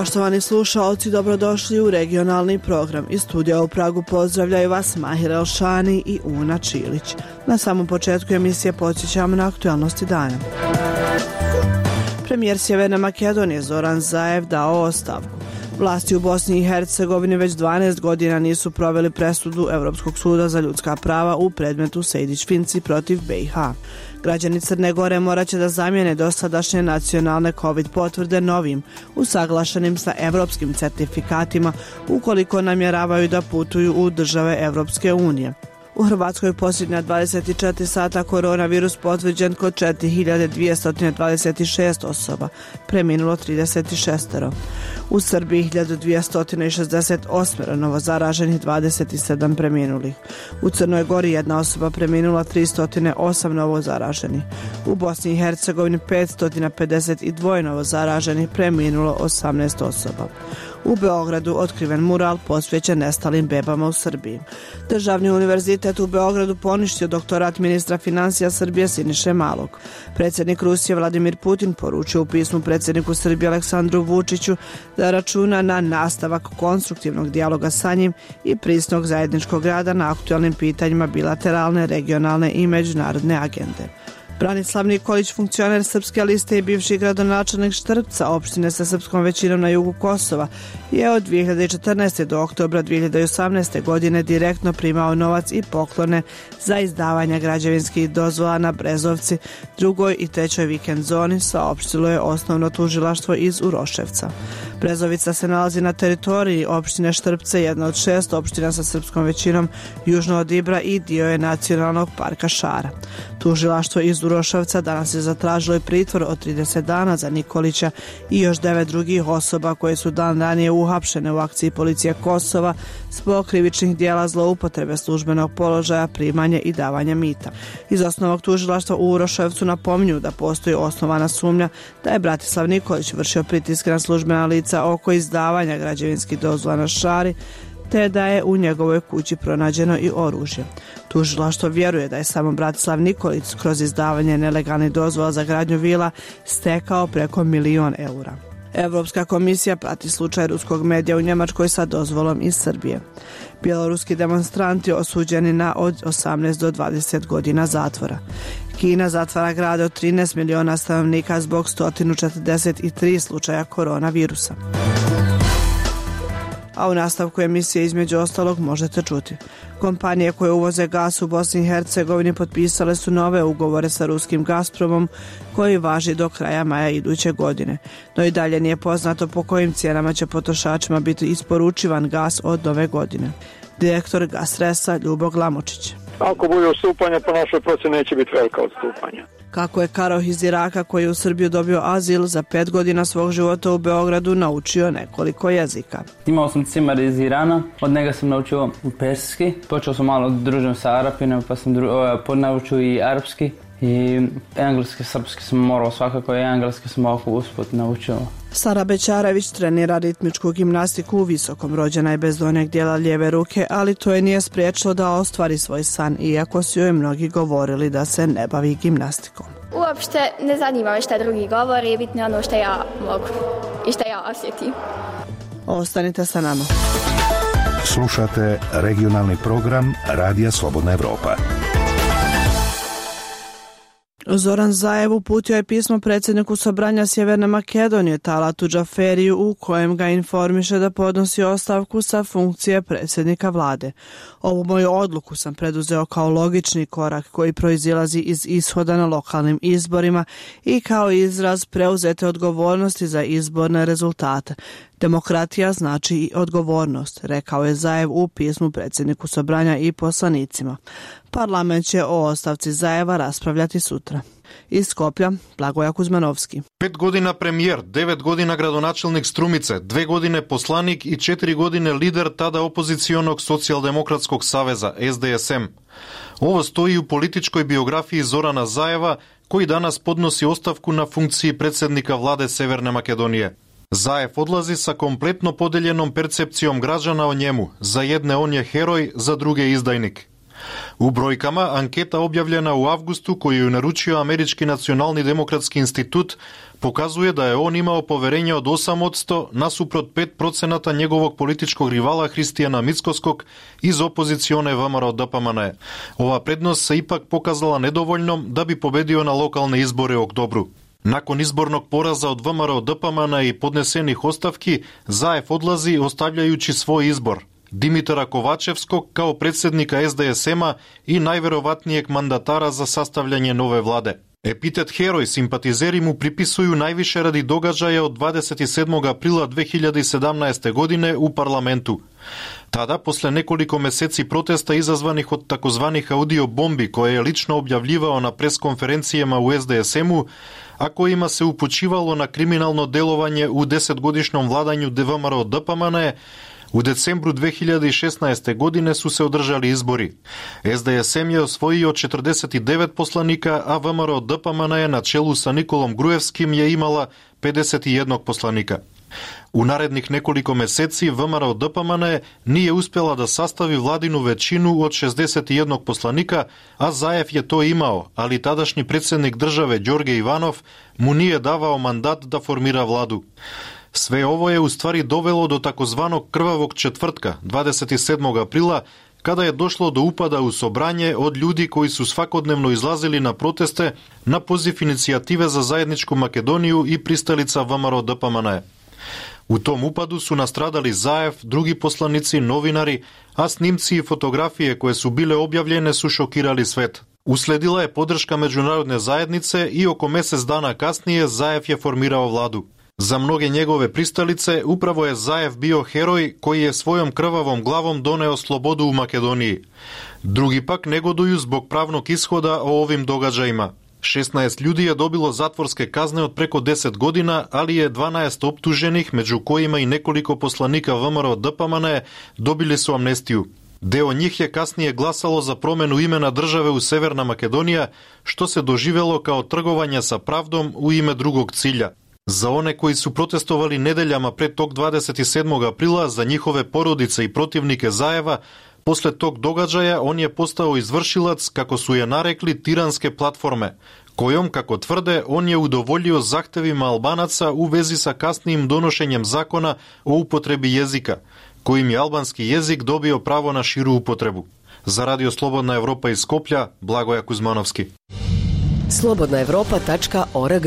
Poštovani slušaoci, dobrodošli u regionalni program. Iz studija u Pragu pozdravljaju vas Mahir Elšani i Una Čilić. Na samom početku emisije podsjećamo na aktualnosti dana. Premijer Sjeverne Makedonije Zoran Zaev dao ostavku. Vlasti u Bosni i Hercegovini već 12 godina nisu proveli presudu Europskog suda za ljudska prava u predmetu Sejdić-Finci protiv BiH. Građani Crne Gore morat će da zamijene dosadašnje nacionalne COVID potvrde novim, usaglašenim sa evropskim certifikatima ukoliko namjeravaju da putuju u države Evropske unije. U Hrvatskoj posljednja 24 sata koronavirus potvrđen kod 4226 osoba, preminulo 36. U Srbiji 1268 novozaraženih, 27 preminulih. U Crnoj Gori jedna osoba preminula, 308 novozaraženih. U Bosni i Hercegovini 552 novozaraženih, preminulo 18 osoba. U Beogradu otkriven mural posvećen nestalim bebama u Srbiji. Državni univerzitet u Beogradu poništio doktorat ministra financija Srbije Siniše Malog. Predsjednik Rusije Vladimir Putin poručio u pismu predsjedniku Srbije Aleksandru Vučiću da računa na nastavak konstruktivnog dijaloga sa njim i prisnog zajedničkog rada na aktualnim pitanjima bilateralne, regionalne i međunarodne agende. Branislav Nikolić, funkcioner Srpske liste i bivši gradonačelnik Štrpca, opštine sa srpskom većinom na jugu Kosova, je od 2014. do oktobra 2018. godine direktno primao novac i poklone za izdavanje građevinskih dozvola na Brezovci, 2. i 3. vikend zoni, saopštilo je osnovno tužilaštvo iz Uroševca. Brezovica se nalazi na teritoriji opštine Štrpce, jedna od 6 opština sa srpskom većinom južno od Ibra i dio je nacionalnog parka Šara. Tužilaštvo iz Uroševca danas je zatražilo i pritvor od 30 dana za Nikolića i još 9 drugih osoba koje su dan ranije uhapšene u akciji policije Kosova zbog krivičnih dijela zloupotrebe službenog položaja, primanje i davanja mita. Iz osnovnog tužilaštva u Uroševcu napominju da postoji osnovana sumnja da je Bratislav Nikolić vršio pritiske na službena lica oko izdavanja građevinskih dozvola na Šari, te da je u njegovoj kući pronađeno i oružje. Tužilaštvo vjeruje da je samo Bratislav Nikolić kroz izdavanje nelegalnih dozvola za gradnju vila stekao preko 1 milion eura. Evropska komisija prati slučaj ruskog medija u Njemačkoj sa dozvolom iz Srbije. Bjeloruski demonstranti osuđeni na od 18 do 20 godina zatvora. Kina zatvara grade od 13 miliona stanovnika zbog 143 slučaja koronavirusa. A u nastavku emisije između ostalog možete čuti. Kompanije koje uvoze gas u Bosni i Hercegovini potpisale su nove ugovore sa ruskim Gazpromom koji važi do kraja maja iduće godine. No i dalje nije poznato po kojim cijenama će potrošačima biti isporučivan gas od nove godine. Direktor Gasresa Ljubo Glamočić. Ako bude odstupanja, po našoj procjeni neće biti velika odstupanja. Kako je Karoh iz Iraka, koji je u Srbiju dobio azil, za 5 godina svog života u Beogradu naučio nekoliko jezika. Imao sam cimar iz Irana, od njega sam naučio persijski. Počeo sam malo družim sa Arapima, pa sam naučio i arapski. I engleski, srpski sam morao svakako, i engleski sam ovako usput naučio. Sara Bećarević trenira ritmičku gimnastiku u Visokom. Rođena je bez donjeg dijela lijeve ruke, ali to je nije spriječilo da ostvari svoj san, iako su joj mnogi govorili da se ne bavi gimnastikom. Uopšte ne zanima me šta drugi govori, bitno je ono što ja mogu i što ja osjetim. Ostanite sa nama. Slušate regionalni program Radija Slobodna Evropa. Zoran Zaev uputio je pismo predsjedniku Sobranja Sjeverne Makedonije Talatu Džaferiju u kojem ga informiše da podnosi ostavku sa funkcije predsjednika vlade. Ovu moju odluku sam preduzeo kao logični korak koji proizilazi iz ishoda na lokalnim izborima i kao izraz preuzete odgovornosti za izborne rezultate. Demokratija znači i odgovornost, rekao je Zaev u pismu predsjedniku Sobranja i poslanicima. Parlament će o ostavci Zaeva raspravljati sutra. Iz Skoplja, Blagoja Kuzmanovski. 5 godina premijer, 9 godina gradonačelnik Strumice, 2 godine poslanik i 4 godine lider tada opozicionog socijaldemokratskog saveza SDSM. Ovo stoji u političkoj biografiji Zorana Zaeva, koji danas podnosi ostavku na funkciji predsjednika vlade Severne Makedonije. Zaev odlazi sa kompletno podeljenom percepcijom građana o njemu. Za jedne on je heroj, za druge izdajnik. U brojkama, anketa objavljena u avgustu koju je naručio Američki nacionalni demokratski institut pokazuje da je on imao poverenje od 8% nasuprot 5% njegovog političkog rivala Hристияна Мицкоскog iz opozicione VMRO DPMNE. Ova prednost se ipak pokazala nedovoljnom da bi pobedio na lokalne izbore u oktobru. Nakon izbornog poraza od VMRO DPMNE i podnesenih ostavki, Zaev odlazi ostavljajući svoj izbor. Димитара Ковачевскog kao predsjednika SDSM-a i najverovatnijeg mandatara za sastavljanje nove vlade. Epitet heroj simpatizeri mu pripisuju najviše radi događaja od 27. aprila 2017. godine u parlamentu. Tada, posle nekoliko meseci protesta izazvanih od takozvanih audio bombi koje je lično objavljivao na preskonferencijama u SDSM-u, a kojima se upućivalo na kriminalno delovanje u 10-godišnjom vladanju VMRO DPMNE, u decembru 2016. godine su se održali izbori. SDSM je osvojio 49 poslanika, a VMRO DPMNE na čelu sa Nikolom Gruevskim je imala 51 poslanika. U narednih nekoliko meseci VMRO DPMNE nije uspjela da sastavi vladinu većinu od 61 poslanika, a Zaev je to imao, ali tadašnji predsjednik države Đorđe Ivanov mu nije davao mandat da formira vladu. Sve ovo je u stvari dovelo do takozvanog krvavog četvrtka, 27. aprila, kada je došlo do upada u sobranje od ljudi koji su svakodnevno izlazili na proteste na poziv inicijative za zajedničku Makedoniju i pristalica VMRO DPMNE. U tom upadu su nastradali Zaev, drugi poslanici, novinari, a snimci i fotografije koje su bile objavljene su šokirali svet. Usledila je podrška međunarodne zajednice i oko mjesec dana kasnije Zaev je formirao vladu. Za mnoge njegove pristalice upravo je Zaev bio heroj koji je svojom krvavom glavom doneo slobodu u Makedoniji. Drugi pak negoduju zbog pravnog ishoda o ovim događajima. 16 ljudi je dobilo zatvorske kazne od preko 10 godina, ali je 12 optuženih, među kojima i nekoliko poslanika VMRO DPMNE, dobili su amnestiju. Deo njih je kasnije glasalo za promjenu imena države u Severna Makedonija, što se doživjelo kao trgovanje sa pravdom u ime drugog cilja. Za one koji su protestovali nedeljama pred tog 27. aprila, za njihove porodice i protivnike Zaeva, posle tog događaja on je postao izvršilac, kako su je narekli, tiranske platforme, kojom, kako tvrde, on je udovoljio zahtevima Albanaca u vezi sa kasnijim donošenjem zakona o upotrebi jezika, kojim je albanski jezik dobio pravo na širu upotrebu. Za Radio Slobodna Evropa iz Skoplja, Blagoja Kuzmanovski. slobodnaevropa.org.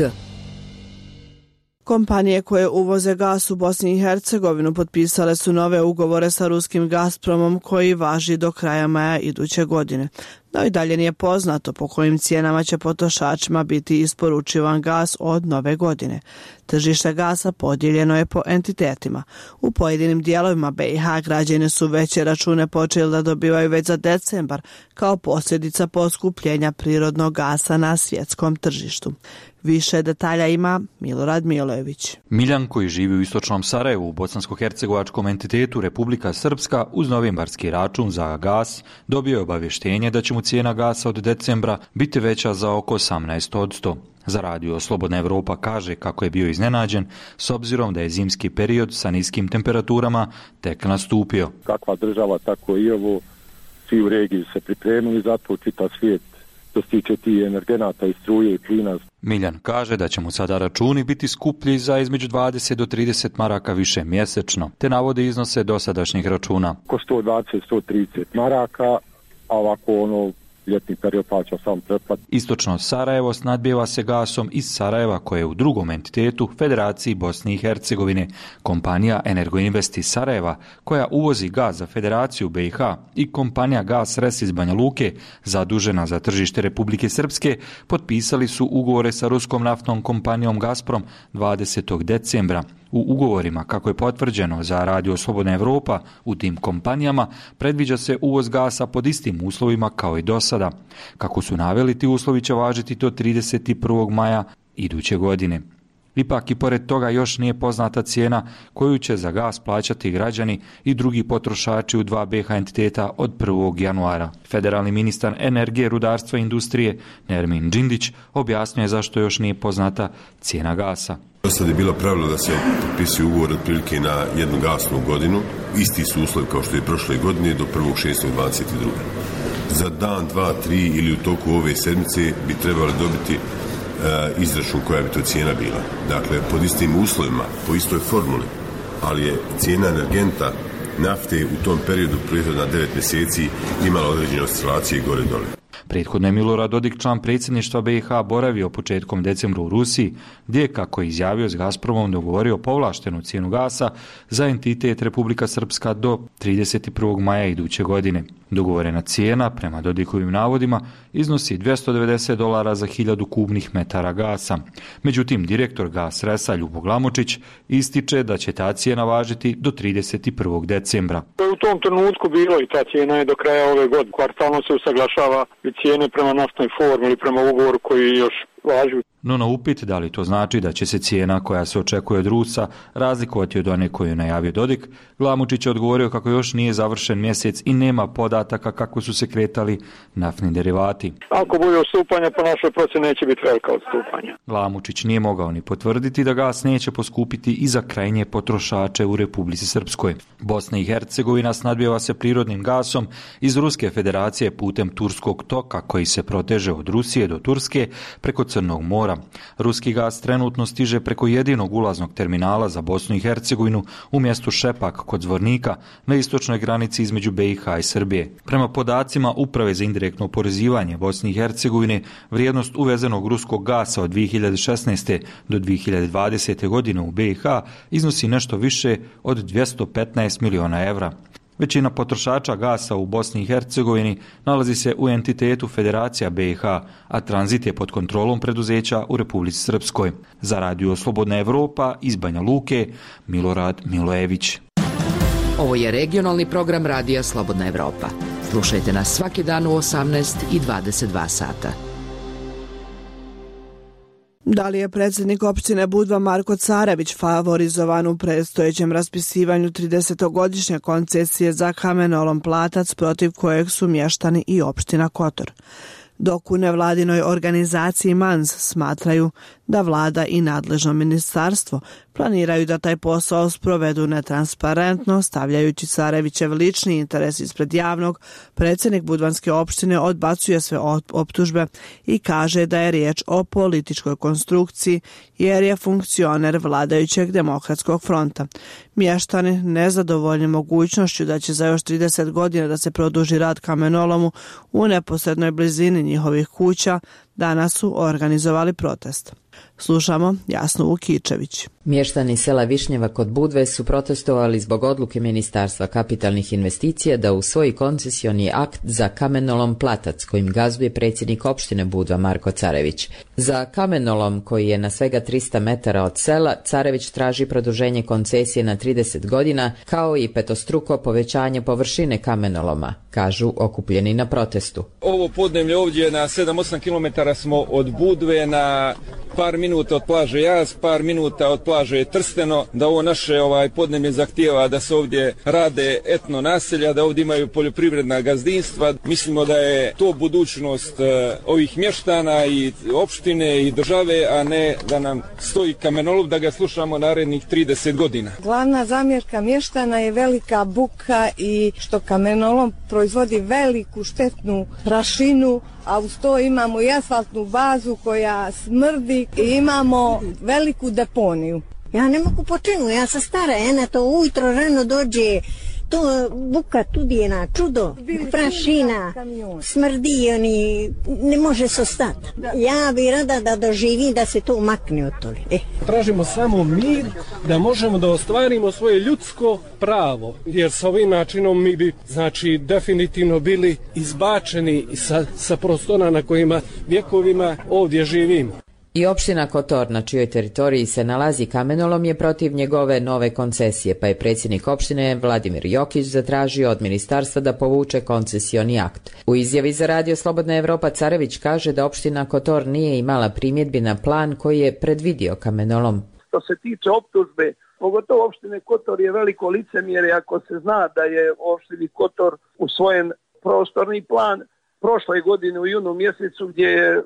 Kompanije koje uvoze gas u Bosni i Hercegovinu potpisale su nove ugovore sa ruskim Gazpromom koji važi do kraja maja iduće godine. No i dalje nije poznato po kojim cijenama će potrošačima biti isporučivan gas od nove godine. Tržište gasa podijeljeno je po entitetima. U pojedinim dijelovima BiH građani su veće račune počeli da dobivaju već za decembar kao posljedica poskupljenja prirodnog gasa na svjetskom tržištu. Više detalja ima Milorad Milojević. Miljan, koji živi u istočnom Sarajevu u bosansko-hercegovačkom entitetu Republika Srpska, uz novembarski račun za gas dobio je obavještenje da će mu cijena gasa od decembra biti veća za oko 18%. Za Radio Slobodna Evropa kaže kako je bio iznenađen s obzirom da je zimski period sa niskim temperaturama tek nastupio. Kakva država, tako i ovo, svi u regiji se pripremili za to, čitav svijet što se tiče tih energenata i struje i plina. Miljan kaže da će mu sada računi biti skuplji za između 20 do 30 maraka više mjesečno, te navode iznose dosadašnjih računa. Oko 120-130 maraka, a ovako ljetni period plaća sam pretplat. Istočno Sarajevo snadbijeva se gasom iz Sarajeva, koje je u drugom entitetu Federaciji Bosne i Hercegovine. Kompanija Energoinvest iz Sarajeva, koja uvozi gaz za Federaciju BiH, i kompanija Gas Res iz Banja Luke, zadužena za tržište Republike Srpske, potpisali su ugovore sa ruskom naftnom kompanijom Gazprom 20. decembra. U ugovorima, kako je potvrđeno za Radio Slobodna Evropa, u tim kompanijama predviđa se uvoz gasa pod istim uslovima kao i do sada. Kako su naveli, ti uslovi će važiti do 31. maja iduće godine. Ipak i pored toga još nije poznata cijena koju će za gas plaćati građani i drugi potrošači u dva BiH entiteta od 1. januara. Federalni ministar energije, rudarstva i industrije Nermin Džindić objasnio je zašto još nije poznata cijena gasa. Do sad je bilo pravilo da se potpisuje ugovor otprilike na jednu gasnu godinu. Isti su uslovi kao što je prošle godine do 1.6.22. za dan, dva, tri ili u toku ove sedmice bi trebali dobiti izračun koja bi to cijena bila. Dakle, pod istim uslovima, po istoj formuli, ali je cijena energenta nafte u tom periodu prethodna 9 mjeseci imala određene oscilacije gore dole. Prethodno je Milorad Dodik, član predsjedništva BiH, boravio početkom decembra u Rusiji, gdje je, kako je izjavio, s Gazpromom dogovorio povlaštenu cijenu gasa za entitet Republika Srpska do 31. maja iduće godine. Dogovorena cijena, prema Dodikovim navodima, iznosi $290 za 1000 kubnih metara gasa. Međutim, direktor Gasresa Ljubo Glamočić ističe da će ta cijena važiti do 31. decembra. U tom trenutku bilo i ta cijena je do kraja ove godine. Kvartalno se usaglašava i cijene prema naftnoj formuli, prema ugovoru koji još važi. No na upit da li to znači da će se cijena koja se očekuje od Rusa razlikovati od one koju je najavio Dodik, Glamočić je odgovorio kako još nije završen mjesec i nema podataka kako su se kretali naftni derivati. Ako bude odstupanja, po našoj procjeni neće biti velika odstupanja. Glamočić nije mogao ni potvrditi da gas neće poskupiti i za krajnje potrošače u Republici Srpskoj. Bosna i Hercegovina snadbijeva se prirodnim gasom iz Ruske federacije putem Turskog toka koji se proteže od Rusije do Turske preko Crnog mora. Ruski gas trenutno stiže preko jedinog ulaznog terminala za Bosnu i Hercegovinu u mjestu Šepak kod Zvornika na istočnoj granici između BiH i Srbije. Prema podacima Uprave za indirektno oporezivanje Bosne i Hercegovine, vrijednost uvezenog ruskog gasa od 2016. do 2020. godine u BiH iznosi nešto više od 215 miliona evra. Većina potrošača gasa u Bosni i Hercegovini nalazi se u entitetu Federacija BiH, a tranzit je pod kontrolom preduzeća u Republici Srpskoj. Za Radio Slobodna Evropa iz Banja Luke, Milorad Milojević. Ovo je regionalni program Radija Slobodna Evropa. Slušajte nas svaki dan u 18 i 22 sata. Da li je predsjednik opštine Budva Marko Carević favorizovan u predstojećem raspisivanju 30-godišnje koncesije za kamenolom Platac protiv kojeg su mještani i opština Kotor? Dok u nevladinoj organizaciji MANS smatraju da vlada i nadležno ministarstvo planiraju da taj posao sprovedu netransparentno, stavljajući Carevićev lični interes ispred javnog, predsjednik Budvanske opštine odbacuje sve optužbe i kaže da je riječ o političkoj konstrukciji jer je funkcioner vladajućeg Demokratskog fronta. Mještani, nezadovoljni mogućnošću da će za još 30 godina da se produži rad kamenolomu u neposrednoj blizini njihovih kuća, danas su organizovali protest. Slušamo Jasnu Vukičević. Mještani sela Višnjeva kod Budve su protestovali zbog odluke Ministarstva kapitalnih investicija da usvoji koncesioni akt za kamenolom Platac kojim gazduje predsjednik opštine Budva Marko Carević. Za kamenolom koji je na svega 300 metara od sela, Carević traži produženje koncesije na 30 godina kao i petostruko povećanje površine kamenoloma, kažu okupljeni na protestu. Ovo podneblje ovdje na 7-8 km smo od Budve, na par minuta od plaže Jaz, par minuta od plaže Trsteno, da ovo naše podneblje zahtijeva da se ovdje rade etno naselja, da ovdje imaju poljoprivredna gazdinstva. Mislimo da je to budućnost ovih mještana i opštine i države, a ne da nam stoji kamenolom da ga slušamo narednih 30 godina. Glavna zamjerka mještana je velika buka i što kamenolom proizvodi veliku štetnu prašinu, a uz to imamo i asfaltnu bazu koja smrdi i imamo veliku deponiju. Ja ne mogu počinu, ja sam stara, ena to ujutro rano dođe, to buka tudi je na čudo, prašina, smrdi, oni ne može se ostati. Ja bi rada da doživim da se to umakne od toga. Tražimo samo mir, da možemo da ostvarimo svoje ljudsko pravo, jer sa ovim načinom mi bi, definitivno bili izbačeni sa prostora na kojima vjekovima ovdje živimo. I opština Kotor, na čijoj teritoriji se nalazi kamenolom, je protiv njegove nove koncesije, pa je predsjednik opštine Vladimir Jokić zatražio od ministarstva da povuče koncesioni akt. U izjavi za Radio Slobodna Evropa Carević kaže da opština Kotor nije imala primjedbi na plan koji je predvidio kamenolom. Što se tiče optužbe, pogotovo opštine Kotor je veliko licemjerje ako se zna da je opštini Kotor usvojen prostorni plan prošle godine u junu mjesecu gdje je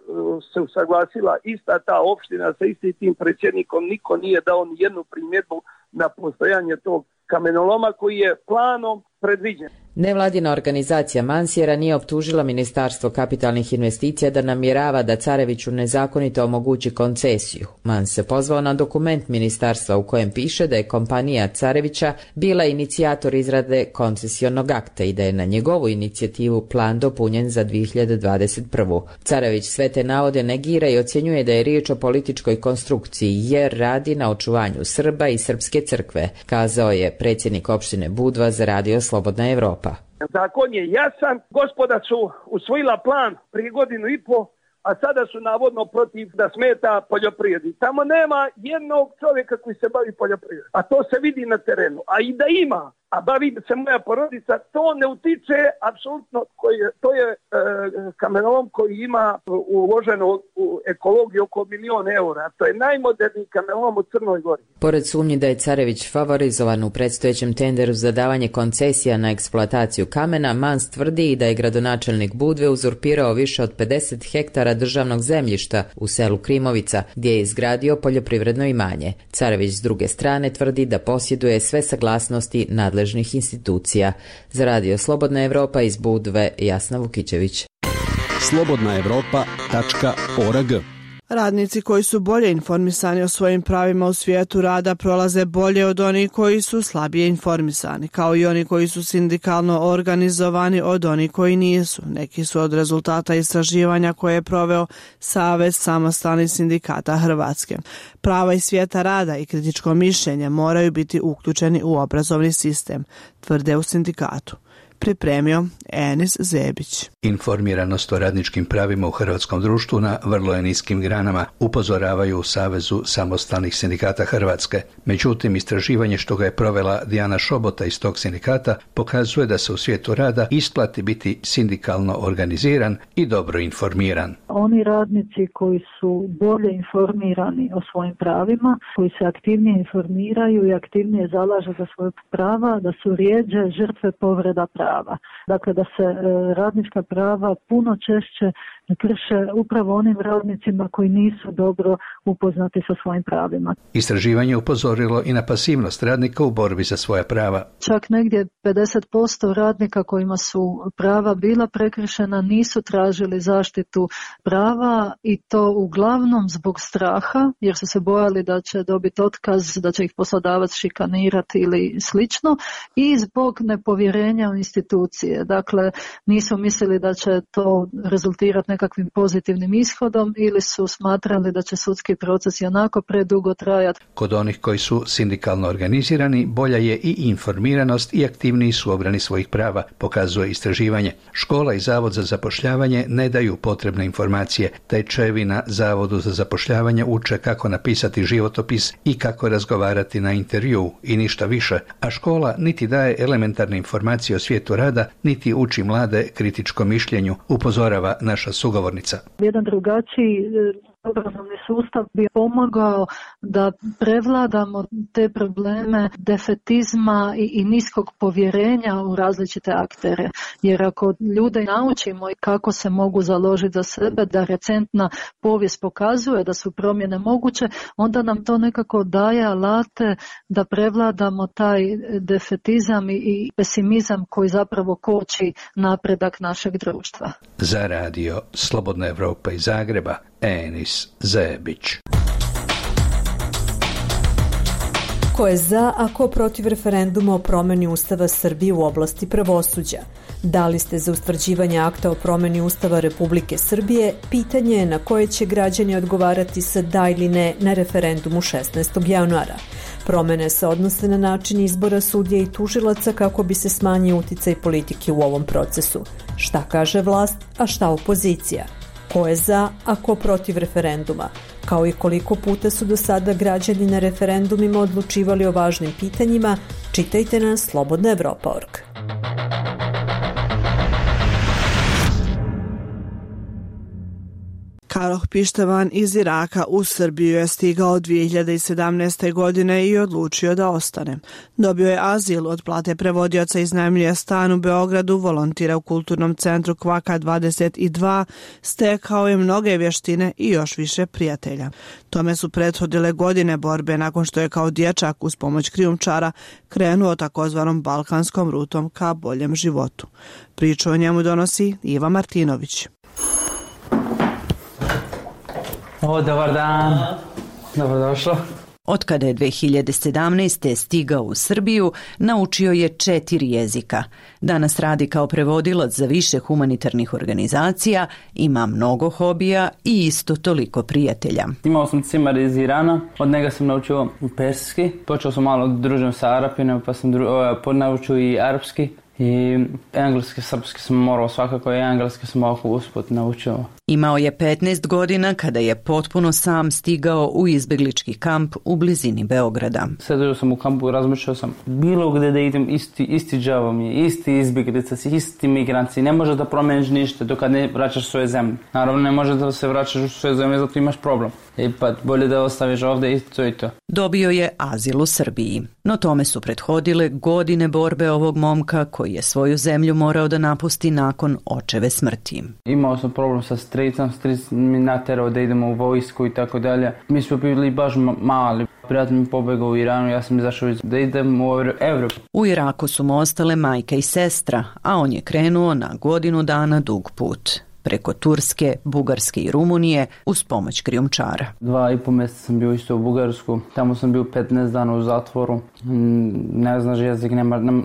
se usaglasila ista ta opština sa istim tim predsjednikom, niko nije dao ni jednu primjedbu na postojanje tog kamenoloma koji je planom predviđen. Nevladina organizacija Mansjera nije optužila Ministarstvo kapitalnih investicija da namjerava da Careviću nezakonito omogući koncesiju. Mans se pozvao na dokument ministarstva u kojem piše da je kompanija Carevića bila inicijator izrade koncesionog akta i da je na njegovu inicijativu plan dopunjen za 2021. Carević sve te navode negira i ocjenjuje da je riječ o političkoj konstrukciji jer radi na očuvanju Srba i srpske crkve, kazao je predsjednik opštine Budva za Radio Slobodna Evropa. Zakon je jasan, gospoda su usvojila plan prije 1.5 godina, a sada su navodno protiv da smeta poljoprivredi. Tamo nema jednog čovjeka koji se bavi poljoprivredom, a to se vidi na terenu. A i da ima, a bavi se moja porodica, to ne utiče apsolutno, to je kamenolom koji ima uloženo u ekologiju oko 1.000.000 eura. To je najmoderniji kamenolom u Crnoj Gori. Pored sumnji da je Carević favorizovan u predstojećem tenderu za davanje koncesija na eksploataciju kamena, Mans tvrdi i da je gradonačelnik Budve uzurpirao više od 50 hektara državnog zemljišta u selu Krimovica, gdje je izgradio poljoprivredno imanje. Carević s druge strane tvrdi da posjeduje sve saglasnosti nadležnih institucija. Za Radio Slobodna Evropa iz Budve, Jasna Vukićević. slobodnaevropa.org. Radnici koji su bolje informisani o svojim pravima u svijetu rada prolaze bolje od onih koji su slabije informisani, kao i oni koji su sindikalno organizovani od onih koji nisu. Neki su od rezultata istraživanja koje je proveo Savez samostalnih sindikata Hrvatske. Prava iz svijeta rada i kritičko mišljenje moraju biti uključeni u obrazovni sistem, tvrde u sindikatu. Pripremio Enis Zebić. Informiranost o radničkim pravima u hrvatskom društvu na vrlo je niskim granama, upozoravaju u Savezu samostalnih sindikata Hrvatske. Međutim, istraživanje što ga je provela Dijana Šobota iz tog sindikata pokazuje da se u svijetu rada isplati biti sindikalno organiziran i dobro informiran. Oni radnici koji su bolje informirani o svojim pravima, koji se aktivnije informiraju i aktivnije zalažu za svoje prava, da su rjeđe žrtve povreda prava. Dakle, da se radnička prava puno češće krše upravo onim radnicima koji nisu dobro upoznati sa svojim pravima. Istraživanje upozorilo i na pasivnost radnika u borbi za svoja prava. Čak negdje 50% radnika kojima su prava bila prekršena nisu tražili zaštitu prava i to uglavnom zbog straha, jer su se bojali da će dobiti otkaz, da će ih poslodavac šikanirati ili slično, i zbog nepovjerenja u institucije. Dakle, nisu mislili da će to rezultirati nekakvim pozitivnim ishodom ili su smatrali da će sudski proces i onako predugo trajati. Kod onih koji su sindikalno organizirani, bolja je i informiranost i aktivniji su u obrani svojih prava, pokazuje istraživanje. Škola i Zavod za zapošljavanje ne daju potrebne informacije. Tečajevi na Zavodu za zapošljavanje uče kako napisati životopis i kako razgovarati na intervju i ništa više, a škola niti daje elementarne informacije o svijetu rada, niti uči mlade kritičkom mišljenju, upozorava naša sugovornica. Jedan drugačiji obrazovni sustav bi pomogao da prevladamo te probleme defetizma i niskog povjerenja u različite aktere. Jer ako ljude naučimo kako se mogu založiti za sebe, da recentna povijest pokazuje da su promjene moguće, onda nam to nekako daje alate da prevladamo taj defetizam i pesimizam koji zapravo koči napredak našeg društva. Za Radio Slobodna Evropa iz Zagreba, Enis Zebić. Ko je za, a ko protiv referenduma o promjeni Ustava Srbije u oblasti pravosuđa? Da li ste za ustvrđivanje akta o promjeni Ustava Republike Srbije? Pitanje je na koje će građani odgovarati sa da ili ne na referendumu 16. januara. Promjene se odnose na način izbora sudija i tužilaca kako bi se smanjio uticaj politike u ovom procesu. Šta kaže vlast, a šta opozicija? Ko je za, a ko protiv referenduma? Kao i koliko puta su do sada građani na referendumima odlučivali o važnim pitanjima, čitajte na slobodnaevropa.org. Karoh Pištevan iz Iraka u Srbiju je stigao 2017. godine i odlučio da ostane. Dobio je azil, od plate prevodioca iznajmljuje stan u Beogradu, volontira u kulturnom centru Kvaka 22, stekao je mnoge vještine i još više prijatelja. Tome su prethodile godine borbe nakon što je kao dječak uz pomoć krijumčara krenuo takozvanom balkanskom rutom ka boljem životu. Priču o njemu donosi Iva Martinović. Dobar dan. Dobrodošlo. Od kada je 2017. stigao u Srbiju, naučio je 4 jezika. Danas radi kao prevodilac za više humanitarnih organizacija, ima mnogo hobija i isto toliko prijatelja. Imao sam cimar iz Irana, od njega sam naučio perski. Počeo sam malo družim sa Arapima, pa sam naučio i arapski. I engleski, srpski sam morao svakako, i engleski sam ovako usput naučio. Imao je 15 godina kada je potpuno sam stigao u izbjeglički kamp u blizini Beograda. Sedio sam u kampu i razmišljao sam bilo gdje da idem, isti džavo mi je, isti izbjeglica, isti migranci. Ne možeš da promeniš ništa dok ne vraćaš svoje zemlje. Naravno ne možeš da se vraćaš u svoje zemlje, zato imaš problem. Pa bolje da ostaviš ovdje i to. Dobio je azil u Srbiji, no tome su prethodile godine borbe ovog momka koji je svoju zemlju morao da napusti nakon očeve smrti. Imao sam problem sa stricom, stric mi naterao da idemo u vojsku i tako dalje. Mi smo bili baš mali. Prijatelj mi pobegao u Iranu, ja sam izašao da idem u Evropu. U Iraku su mu ostale majka i sestra, a on je krenuo na godinu dana dug put. Preko Turske, Bugarske i Rumunije uz pomoć krijumčara. 2,5 mjeseca sam bio isto u Bugarsku, tamo sam bio 15 dana u zatvoru, ne znaš jezik,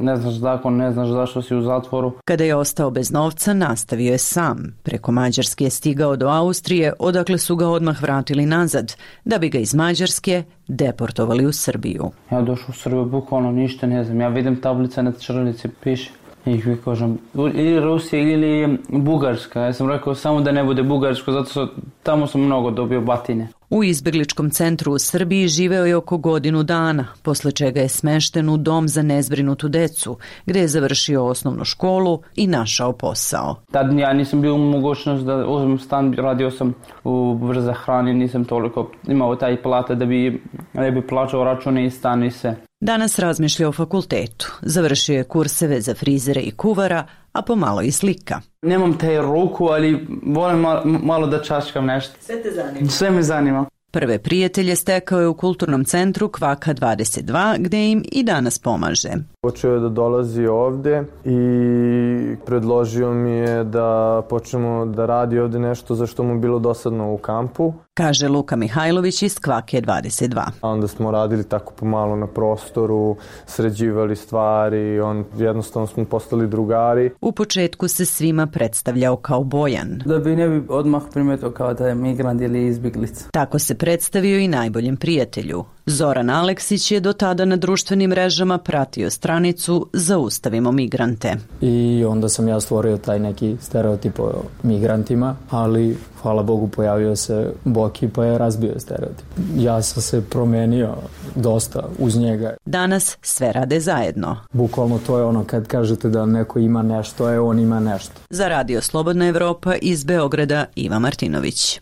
ne znaš zakon, ne znaš zašto si u zatvoru. Kada je ostao bez novca, nastavio je sam. Preko Mađarske je stigao do Austrije, odakle su ga odmah vratili nazad, da bi ga iz Mađarske deportovali u Srbiju. Ja došao u Srbiju, bukvalno ništa ne znam, ja vidim tablice na ćirilici, piše. I kažem, ili Rusija ili Bugarska. Ja sam rekao samo da ne bude Bugarsko, zato što tamo sam mnogo dobio batine. U izbjegličkom centru u Srbiji živeo je oko godinu dana, posle čega je smešten u dom za nezbrinutu decu, gdje je završio osnovnu školu i našao posao. Tad ja nisam bio u mogućnost da uzmem stan, radio sam u brza hrani, nisam toliko imao taj plata da bi plaćao račune i stan i sve. Danas razmišlja o fakultetu. Završio je kurseve za frizere i kuvara, a pomalo i slika. Nemam te ruku, ali volim malo da čačkam nešto. Sve te zanima? Sve me zanima. Prve prijatelje stekao je u kulturnom centru Kvaka 22, gdje im i danas pomaže. Počeo je da dolazi ovdje i predložio mi je da počnemo da radi ovdje nešto za što mu bilo dosadno u kampu. Kaže Luka Mihajlović iz Kvake 22. A onda smo radili tako pomalo na prostoru, sređivali stvari, jednostavno smo postali drugari. U početku se svima predstavljao kao Bojan. Da bi ne bi odmah primetio kao da je migrant ili izbjeglica. Tako se predstavio i najboljem prijatelju. Zoran Aleksić je do tada na društvenim mrežama pratio stranicu Zaustavimo migrante. I onda sam ja stvorio taj neki stereotip o migrantima, ali hvala Bogu pojavio se Boki pa je razbio stereotip. Ja sam se promenio dosta uz njega. Danas sve rade zajedno. Bukvalno to je ono kad kažete da neko ima nešto, on ima nešto. Za Radio Slobodna Evropa iz Beograda Iva Martinović.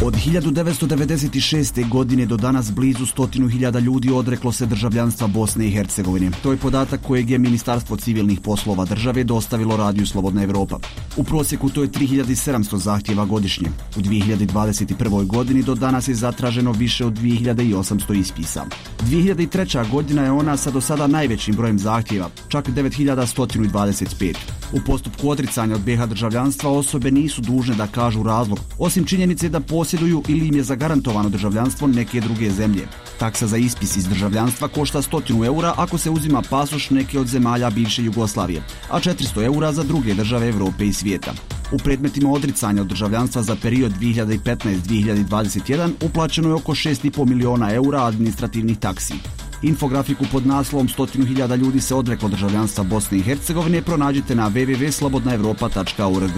Od 1996. godine do danas blizu 100.000 ljudi odreklo se državljanstva Bosne i Hercegovine. To je podatak kojeg je Ministarstvo civilnih poslova države dostavilo Radiju Slobodna Evropa. U prosjeku to je 3700 zahtjeva godišnje. U 2021. godini do danas je zatraženo više od 2800 ispisa. 2003. godina je ona sa do sada najvećim brojem zahtjeva, čak 9125. U postupku odricanja od BiH državljanstva osobe nisu dužne da kažu razlog, osim činjenice da posjeduju ili im je zagarantovano državljanstvo neke druge zemlje. Taksa za ispis iz državljanstva košta 100 eura ako se uzima pasoš neke od zemalja bivše Jugoslavije, a 400 eura za druge države Evrope i svijeta. U predmetima odricanja od državljanstva za period 2015-2021 uplaćeno je oko 6,5 miliona eura administrativnih taksi. Infografiku pod naslovom 100.000 ljudi se odreklo državljanstva Bosne i Hercegovine pronađite na www.slobodnaevropa.org.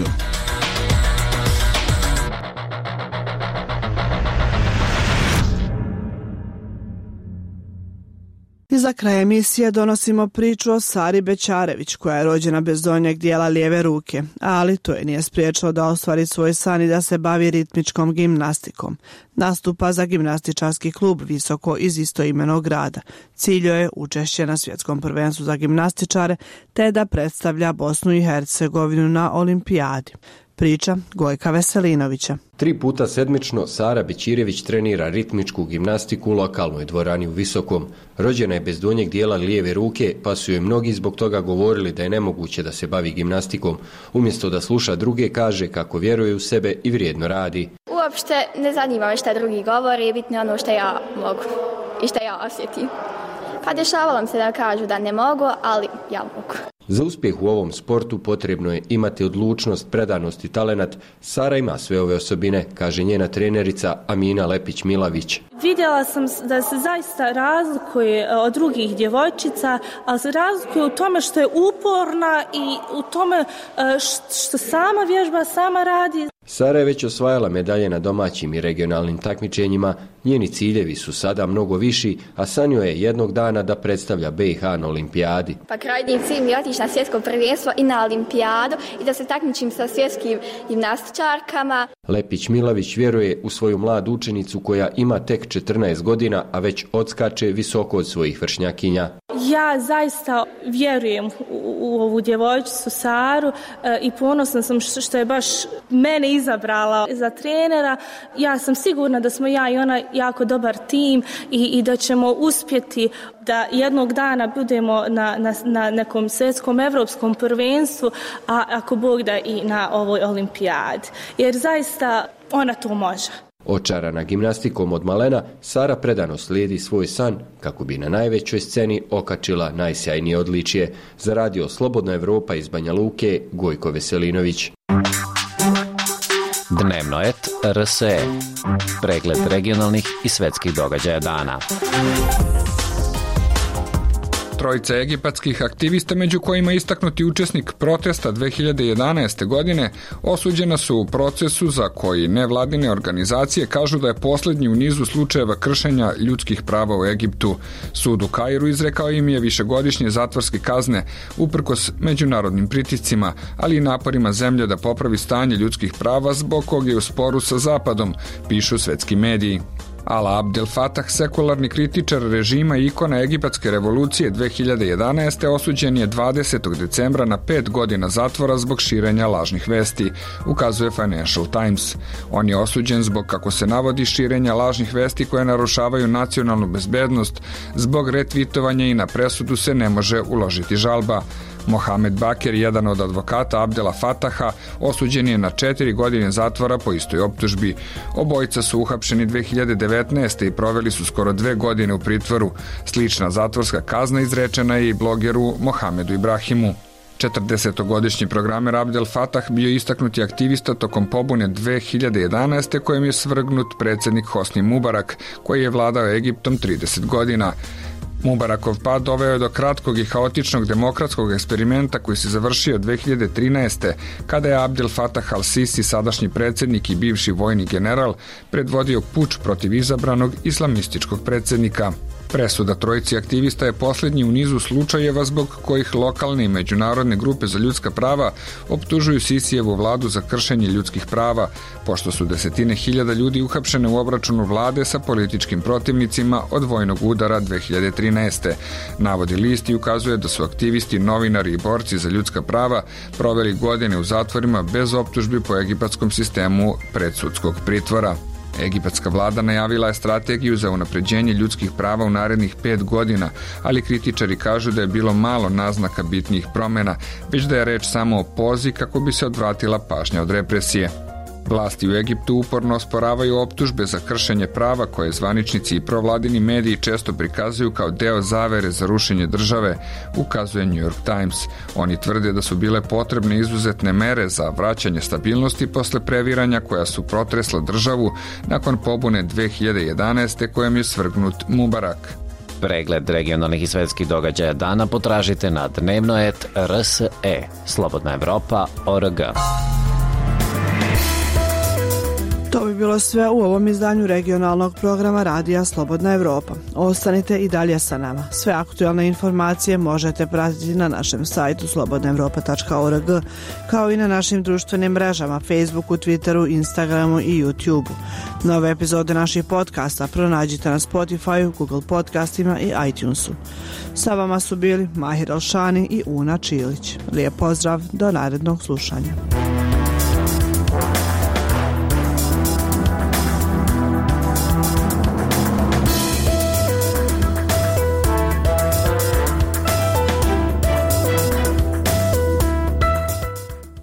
I za kraj emisije donosimo priču o Sari Bećarević, koja je rođena bez donjeg dijela lijeve ruke, ali to je nije spriječilo da ostvari svoj san i da se bavi ritmičkom gimnastikom. Nastupa za gimnastičarski klub Visoko iz istoimenog grada. Cilj je učešće na svjetskom prvenstvu za gimnastičare te da predstavlja Bosnu i Hercegovinu na olimpijadi. Priča Gojka Veselinovića. 3 puta sedmično Sara Bećirević trenira ritmičku gimnastiku u lokalnoj dvorani u Visokom. Rođena je bez donjeg dijela lijeve ruke, pa su joj mnogi zbog toga govorili da je nemoguće da se bavi gimnastikom. Umjesto da sluša druge, kaže kako vjeruje u sebe i vrijedno radi. Uopšte ne zanima me šta drugi govori, bitno je ono što ja mogu i što ja osjetim. Pa dešavalo se da kažu da ne mogu, ali ja mogu. Za uspjeh u ovom sportu potrebno je imati odlučnost, predanost i talenat. Sara ima sve ove osobine, kaže njena trenerica Amina Lepić-Milavić. Vidjela sam da se zaista razlikuje od drugih djevojčica, ali se razlikuje u tome što je uporna i u tome što sama vježba, sama radi. Sara je već osvajala medalje na domaćim i regionalnim takmičenjima, njeni ciljevi su sada mnogo viši, a sanjao je jednog dana da predstavlja BiH na olimpijadi. Pa krajnji cilj mi je otići na svjetsko prvenstvo i na olimpijadu i da se takmičim sa svjetskim gimnastičarkama. Lepić-Milavić vjeruje u svoju mladu učenicu koja ima tek 14 godina, a već odskače visoko od svojih vršnjakinja. Ja zaista vjerujem u ovu djevojčicu Saru i ponosna sam što je baš mene izabrala za trenera. Ja sam sigurna da smo ja i ona jako dobar tim i da ćemo uspjeti da jednog dana budemo na nekom svjetskom evropskom prvenstvu, a ako Bog da i na ovoj olimpijadi. Jer zaista ona to može. Očarana gimnastikom od malena, Sara predano slijedi svoj san kako bi na najvećoj sceni okačila najsjajnije odličje. Za radio Slobodna Evropa iz Banja Luke, Gojko Veselinović. Dnevno et RSE. Pregled regionalnih i svetskih događaja dana. Trojica egipatskih aktivista, među kojima istaknuti učesnik protesta 2011. godine, osuđena su u procesu za koji nevladine organizacije kažu da je posljednji u nizu slučajeva kršenja ljudskih prava u Egiptu. Sud u Kairu izrekao im je višegodišnje zatvorske kazne uprkos međunarodnim pritiscima, ali i naporima zemlje da popravi stanje ljudskih prava zbog kog je u sporu sa Zapadom, pišu svetski mediji. Ala Abdel Fattah, sekularni kritičar režima i ikona egipatske revolucije 2011. osuđen je 20. decembra na 5 godina zatvora zbog širenja lažnih vesti, ukazuje Financial Times. On je osuđen zbog, kako se navodi, širenja lažnih vesti koje narušavaju nacionalnu bezbednost. Zbog retvitovanja i na presudu se ne može uložiti žalba. Mohamed Baker, jedan od advokata Abdela Fataha, osuđen je na 4 godine zatvora po istoj optužbi. Obojica su uhapšeni 2019. i proveli su skoro 2 godine u pritvoru. Slična zatvorska kazna izrečena je i blogeru Mohamedu Ibrahimu. 40-godišnji programer Abdel Fattah bio istaknuti aktivista tokom pobune 2011. kojem je svrgnut predsjednik Hosni Mubarak, koji je vladao Egiptom 30 godina. Mubarakov pad doveo je do kratkog i haotičnog demokratskog eksperimenta koji se završio 2013. kada je Abdel Fattah al-Sisi, sadašnji predsjednik i bivši vojni general, predvodio puč protiv izabranog islamističkog predsjednika. Presuda trojici aktivista je posljednji u nizu slučajeva zbog kojih lokalne i međunarodne grupe za ljudska prava optužuju Sisijevu vladu za kršenje ljudskih prava, pošto su desetine hiljada ljudi uhapšene u obračunu vlade sa političkim protivnicima od vojnog udara 2013. Navodi list i ukazuje da su aktivisti, novinari i borci za ljudska prava proveli godine u zatvorima bez optužbi po egipatskom sistemu predsudskog pritvora. Egipatska vlada najavila je strategiju za unapređenje ljudskih prava u narednih 5 godina, ali kritičari kažu da je bilo malo naznaka bitnijih promjena, već da je reč samo o pozi kako bi se odvratila pažnja od represije. Vlasti u Egiptu uporno osporavaju optužbe za kršenje prava koje zvaničnici i provladini mediji često prikazuju kao deo zavere za rušenje države, ukazuje New York Times. Oni tvrde da su bile potrebne izuzetne mere za vraćanje stabilnosti posle previranja koja su protresla državu nakon pobune 2011. kojem je svrgnut Mubarak. Pregled regionalnih i svetskih događaja dana potražite na dnevno.rs.e. Slobodna Evropa.org. To bi bi bilo sve u ovom izdanju regionalnog programa Radija Slobodna Evropa. Ostanite i dalje sa nama. Sve aktualne informacije možete pratiti na našem sajtu slobodnaevropa.org, kao i na našim društvenim mrežama Facebooku, Twitteru, Instagramu i YouTubeu. Nove epizode naših podcasta pronađite na Spotify, Google podcastima i iTunesu. Sa vama su bili Mahir Alšani i Una Čilić. Lijep pozdrav, do narednog slušanja.